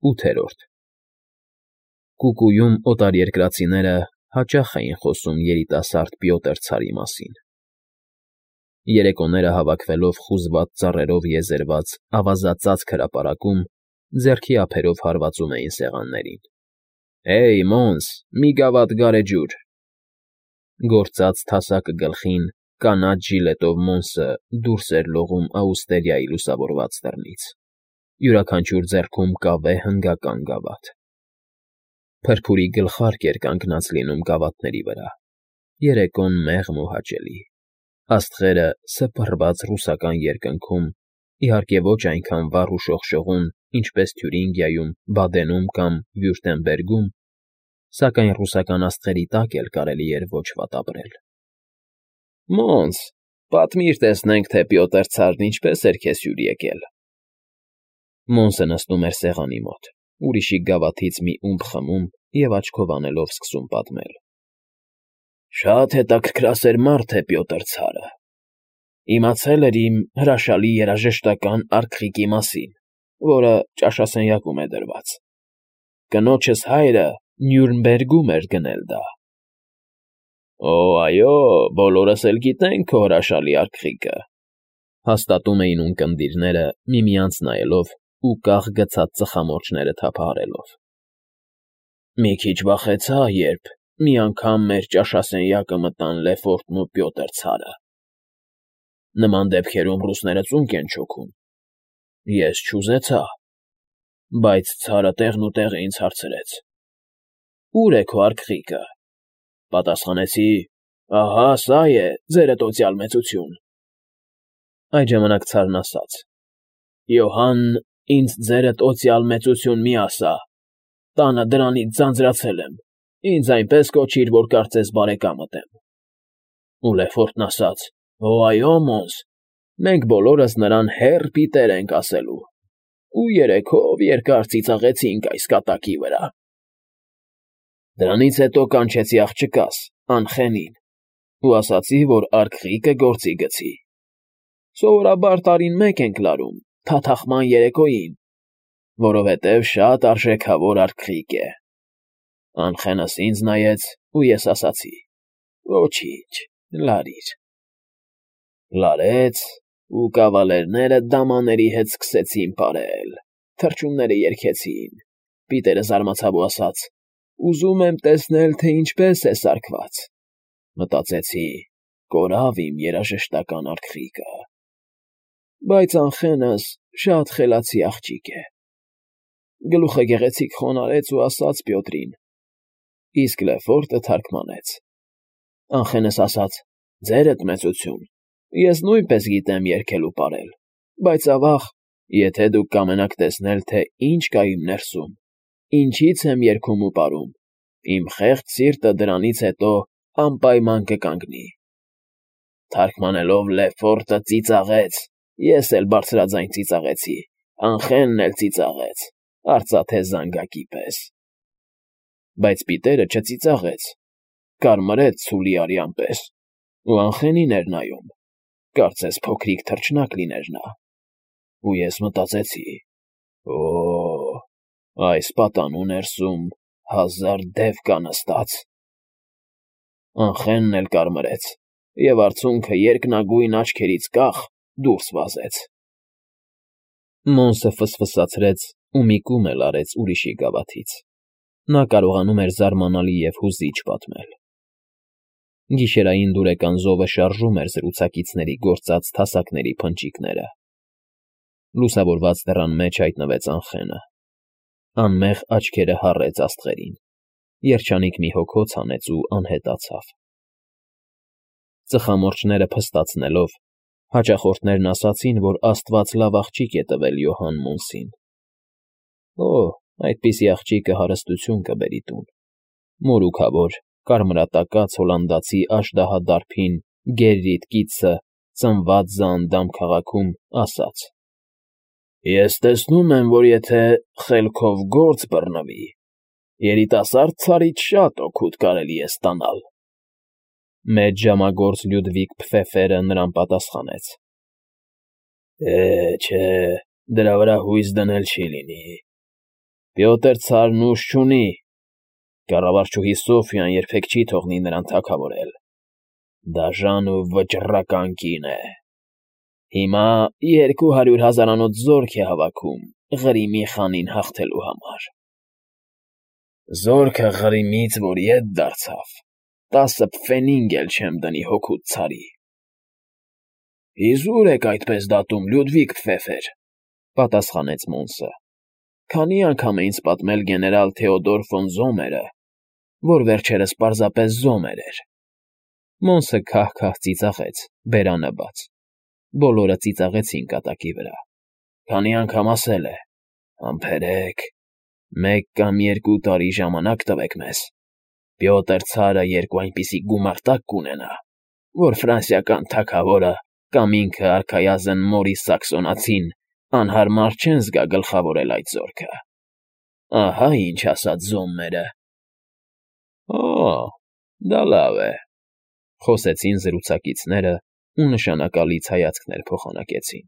8-րդ Կուկուում օտարերկրացիները հաճախ էին խոսում երիտասարդ Պյոտր ցարի մասին։ Երեկոները հավաքվելով խուզված ծառերով եզերված ավազածածկ հրապարակում, ձեռքի ափերով հարվածում էին սեղաններին։ «Հեյ, Մոնս, մի գավաթ գարեջուր»։ Գործած թասակը գլխին, կանաչ ժիլետով Մոնսը դուրս էր լողում Աուստերիայի լուսավորված դռնից, յուրաքանչյուր ձեռքում կավե հնգական գավաթ։ Փրփուրի գլխարկ էր կանգնած լինում գավաթների վրա, երեկոն մեղմ ու հաճելի, աստղերը սփռված ռուսական երկնքում, իհարկե ոչ այնքան վառ ու շողշողուն, ինչպես Թյուրինգիայում, Բադենում կամ Վյուրտեմբերգում, սակայն ռուսական աստղերի տակ էլ կարելի էր ոչ վատ ապրել։ «Մոնս, պատմիր տեսնենք, թե Պյոտր ցարն ինչպես էր քեզ հյուր եկել»։ Մոնսը նստում էր սեղանի մոտ, ուրիշի գավաթից մի ումպ խմում և աչքով անելով սկսում պատմել։ «Շատ հետաքրքրասեր մարդ է Պյոտր ցարը։ Իմացել էր իմ հրաշալի երաժշտական արկղիկի մասին, որը ճաշասենյակում է դրված։ Կնոջս հայրը Նյուրնբերգում էր գնել դա»։ «Օ, այո, բոլորս էլ գիտենք քո հրաշալի արկղիկը», հաստատում էին ունկնդիրները, միմյանց նայելով ու կախ գցած ծխամորճները թափահարելով։ «Մի քիչ վախեցա, երբ մի անգամ մեր ճաշասենյակը մտան Լեֆորտն ու Պյոտր ցարը։ Նման դեպքերում ռուսները ծունկ են չոքում։ Ես չուզեցա, բայց ցարը տեղնուտեղը ինձ հարցրեց. «Ո՞ւր է քո արկղիկը»։ Պատասխանեցի. «Ահա սա է, ձերդ օծյալ մեծություն»։ Այդ ժամանակ ցարն ասաց. «Յոհան, ինձ ձերդ օծյալ մեծություն մի ասա, տանը դրանից ձանձրացել եմ, ինձ այնպես կոչիր, որ կարծես բարեկամդ եմ»։ Ու Լեֆորտն ասաց. «Օ, այո, Մոնս, մենք բոլորս նրան հեռ Պիտեր ենք ասելու, ու երեքով երկար ծիծաղեցինք այս կատակի վրա»։ Դրանից հետո կանչեցի աղջկաս, Անխենին, ու ասացի, որ արկղիկը գործի գցի։ Սովորաբար տարին մեկ ենք լարում, թաթախման երեկոյին, որովհետև շատ արժեքավոր արկղիկ է։ Անխենս ինձ նայեց, ու ես ասացի. «Ոչինչ, լարիր»։ Լարեց, ու կավալերները դամաների հետ սկսեցին պարել, թռչունները երգեցին։ Պիտերը զարմացավ ու ասաց. «Ուզում եմ տեսնել, թե ինչպես է սարքված»։ Մտածեցի. կորավ իմ երաժշտական արկղիկը։ Բայց Անխենս շատ խելացի աղջիկ է։ Գլուխը գեղեցիկ խոնարհեց ու ասաց Պյոտրին, իսկ Լեֆորտը թարգմանեց։ Անխենս ասաց. «Ձերդ մեծություն, ես նույնպես գիտեմ երգել ու պարել, բայց ավաղ, եթե դուք կամենաք տեսնել, թե ինչ կա իմ ներսում, ինչից եմ երգում ու պարում, իմ խեղճ սիրտը դրանից հետո անպայման կկանգնի»։ Թարգմանելով Լեֆորտը ծիծաղեց, ես էլ բարձրաձայն ծիծաղեցի, Անխենն էլ ծիծաղեց, արծաթե զանգակի պես։ Բայց Պիտերը չծիծաղեց, կարմրեց ցուլի արյան պես, ու Անխենին էր նայում, կարծես փոքրիկ թռչնակ լիներ նա։ Ու ես մտածեցի. «Օ, այս պատանու ներսում 1000 դև կա նստած»։ Անխենն էլ կարմրեց, և արցունքը երկնագույն աչքերից կախ դուրս վազեց։ Մոնսը ֆսֆսացրեց ու մի կում էլ արեց ուրիշի գավաթից։ Նա կարողանում էր զարմանալի և հուզիչ պատմել։ Գիշերային դուրեկան զովը շարժում էր զրուցակիցների գործած թասակների փնճիկները։ Լուսավորված դռան մեջ հայտնվեց Անխենը։ Անմեղ աչքերը հառեց աստղերին, երջանիկ մի հոգոց հանեց ու անհետացավ։ Ծխամորճները փստացնելով, հաճախորդներն ասացին, որ Աստված լավ աղջիկ է տվել Յոհան Մոնսին։ Օ, այդպիսի աղջիկը հարստություն կբերի տուն։ Մորուքավոր, կարմրատակած հոլանդացի աժդահադարբին Գերրիդ կիցը ծնված Զանդամ քաղաքում ասաց. «Ես տեսնում եմ, որ եթե խելքով գործ բռնվի, երիտասարդ ցարից շատ օգուտ կարելի է ստանալ»։ Մեծ ժամագործ Լյուդվիգ Փֆեֆերը նրան պատասխանեց. Չէ, դրա վրա հույս դնել չի լինի։ Պյոտր ցարն ուժ չունի, կառավարչուհի Սոֆյան երբեք չի թողնի նրան թագավորել, դաժան ու վճռական կին է։ Հիմա 200,000-անոց զորք է հավաքում Ղրիմի խանին հաղթելու համար։ Զորքը Ղրիմից, որ ետ դարձավ, 10 պֆենինգ էլ չեմ դնի հոգուդ ցարի։ Իզուր եք այդպես դատում, Լյուդվիգ Պֆեֆեր, պատասխանեց Մոնսը։ Քանի անգամ է ինձ պատմել գեներալ Թեոդոր ֆոն Զոմերը, որ վերջերս պարզապես Զոմեր էր։ Մոնսը քահ-քահ ծիծաղեց, բերանը բաց։ Բոլորը ծիծաղեցին կատակի վրա։ Քանի անգամ ասել է. «Համբերեք, 1 կամ 2 տարի ժամանակ տվեք մեզ։ Պյոտր ցարը 2 այնպիսի գումարտակ կունենա, որ ֆրանսիական թագավորը կամ ինքը արքայազն Մորիս Սաքսոնացին անհարմար չեն զգա գլխավորել այդ զորքը։ Ահա ինչ ասաց Զոմերը»։ Օ, դա լավ է, խոսեցին զրուցակիցները ու նշանակալից հայացքներ փոխանակեցին։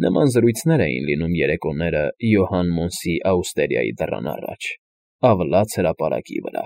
Նման զրույցներ էին լինում երեկոները Յոհան Մոնսի աուստերիայի դռան առաջ, ավլաց հրապարակի վրա։